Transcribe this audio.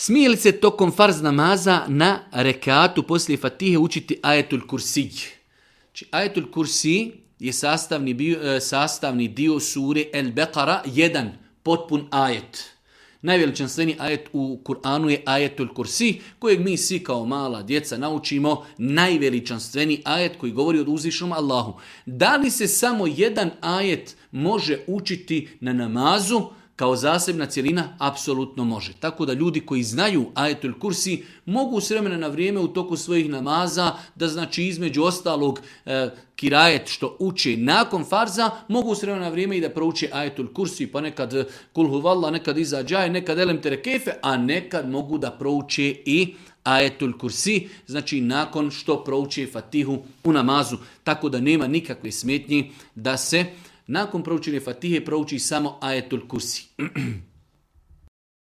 Smije li se tokom farz namaza na rekatu poslije Fatihe učiti ajetul kursij? Znači, ajetul kursij je sastavni dio sure El Beqara, jedan potpun ajet. Najveličanstveniji ajet u Kur'anu je ajetul kursij, kojeg mi svi kao mala djeca naučimo, najveličanstveniji ajet koji govori o uzvišenom Allahu. Da li se samo jedan ajet može učiti na namazu kao zasebna cjelina? Apsolutno može. Tako da ljudi koji znaju ajetul kursi mogu s vremena na vrijeme u toku svojih namaza, da znači između ostalog kirajet što uče nakon farza, mogu s vremena na vrijeme i da prouče ajetul kursi, pa nekad kul huvallah, nekad iza džaje, nekad elem terekefe, a nekad mogu da prouče i ajetul kursi, znači nakon što prouče Fatihu u namazu. Tako da nema nikakve smetnje da se nakon proučenja Fatihe prouči samo ajetul kursi.